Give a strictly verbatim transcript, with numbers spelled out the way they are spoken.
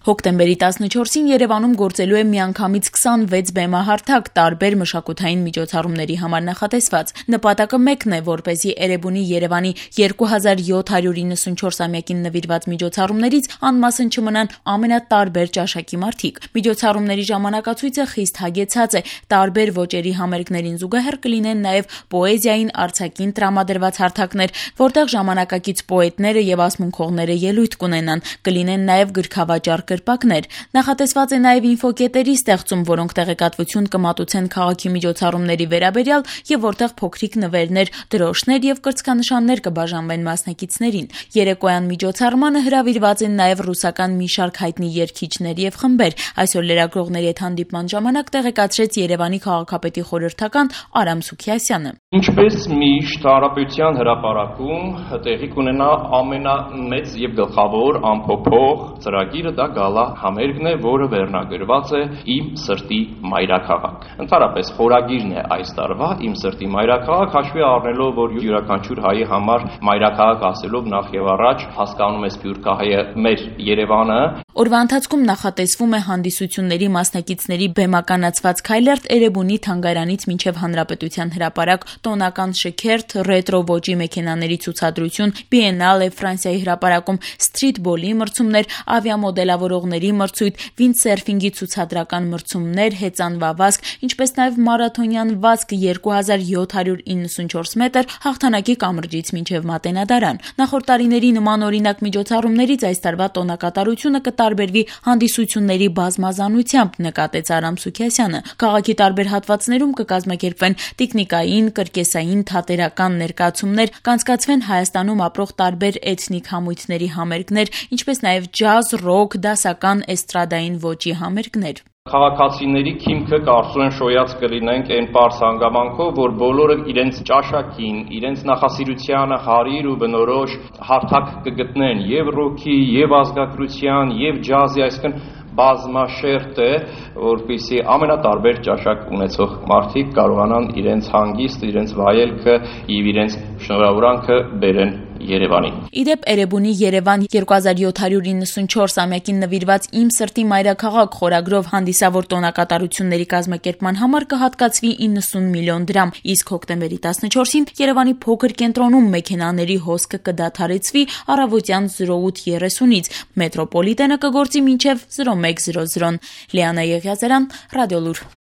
Հոկտեմբերի տասնչորսին Երևանում գործելու է միանգամից քսանվեց բեմահարթակ տարբեր մշակութային միջոցառումների համար նախատեսված։ Նպատակը մեկն է, որպեսզի Էրեբունի Երևանի երկու հազար յոթ հարյուր իննսունչորս-ամյակին նվիրված միջոցառումներից անմասն չմնան ամենատարբեր ճաշակի մարդիկ։ Միջոցառումների ժամանակացույցը խիստ հագեցած է, տարբեր ոճերի համերգներին զուգահեռ կլինեն նաև պոեզիային, արձակին տրամադրված հարթակներ, որտեղ ժամանակակից պոետները եւ ասմունքողները ելույթ կունենան, կլինեն նաև գրքավաճառ կրպակներ։ Նախատեսված է նաև ինֆոկետերի ստեղծում, որոնք տեղեկատվություն կմատուցեն քաղաքի միջոցառումների վերաբերյալ եւ որտեղ փոքրիկ նվերներ, դրոշներ եւ կրծքանշաններ կբաժանվեն մասնակիցներին։ Երեկոյան միջոցառմանը հրավիրված են նաև ռուսական մի շարք հայտնի երգիչներ եւ խմբեր։ Այսօր լրագրողների հետ հանդիպման ժամանակ տեղեկացրեց Երևանի քաղաքապետի խորհրդական Արամ Սուքիասյանը։ Ինչպես միշտ Հանրապետության հրապարակում տեղի կունենա ամենամեծ եւ գլխավոր ամփոփող ծրագիրը, դա գալա համերգն է, որը վերնագրված է Իմ սրտի մայրաքաղաք։ Ընդհանրապես խորագիրն է այս տարվա Իմ սրտի մայրաքաղաք, հաշվի առնելով, որ յուրաքանչյուր հայի համար մայրաքաղաք ասելով նախ եւ առաջ հասկանում է սփյուռքահայը մեր Երևանը։ Օրվա ընթացքում նախատեսվում է հանդիսությունների մասնակիցների բեմականացված քայլերթ Էրեբունի թանգարանից մինչև Հանրապետության հրապարակ, տոնական շքերթ, ռետրո ոճի մեքենաների ցուցադրություն, բիենալե, Ֆրանսիայի հրապարակում սթրիթբոլի մրցումներ, ավիամոդելավորողների մրցույթ, վինդսերֆինգի ցուցադրական մրցումներ, հեծանվավազք, ինչպես նաև մարաթոնյան վազք երկու հազար յոթ հարյուր իննսունչորս մետր հաղթանակի կամրջից մինչև Մատենադարան։ Նախորդ տարիների նմանօրինակ միջոցառումներից այս տարվա տոնակատարությունը կտարբերվի հանդիսությունների բազմազանությամբ, նկատեց Արամ Սուքիասյանը։ Քաղաքի տարբեր հատվածներում կկազմակերպվեն տիկնիկային, կրկեսային, թատերական ներկայացումներ, կանցկացվեն Հայաստանում ապրող տարբեր էթնիկ համույթների համերգներ, ինչպես նաև ջազ, ռոք, դասական, էստրադային ոճի համերգներ։ Քաղաքացիների քիմքը կարծում են շոյած կլինենք այն պարզ հանգամանքով, որ բոլորը իրենց ճաշակին, իրենց նախասիրությանը հարիր ու բնորոշ հարթակ կգտնեն եւ ռոքի, եւ ազգագրության, եւ ջազի, այսինքն բազմաշերտ է, որպեսզի ամենատարբեր ճաշակ ունեցող մարդիկ կարողանան իրենց հանգիստ, իրենց վայելքը եւ իրենց շնորհավորանքը բերեն Երևանի։ Իդեպ Էրեբունի Երևան երկու հազար յոթ հարյուր իննսունչորս-ամյակին նվիրված Իմ սրտի մայրաքաղաք խորագրով հանդիսավոր տոնակատարությունների կազմակերպման համար կհատկացվի իննսուն միլիոն դրամ, իսկ հոկտեմբերի տասնչորսին Երևանի փոքր կենտրոնում մեքենաների հոսքը կդադարեցվի առավոտյան զրո ութ երեսունից, մետրոպոլիտենը կգործի մինչև զրո մեկ զրո զրոն։ Լիանա Եղիազարյան, Ռադիոլուր։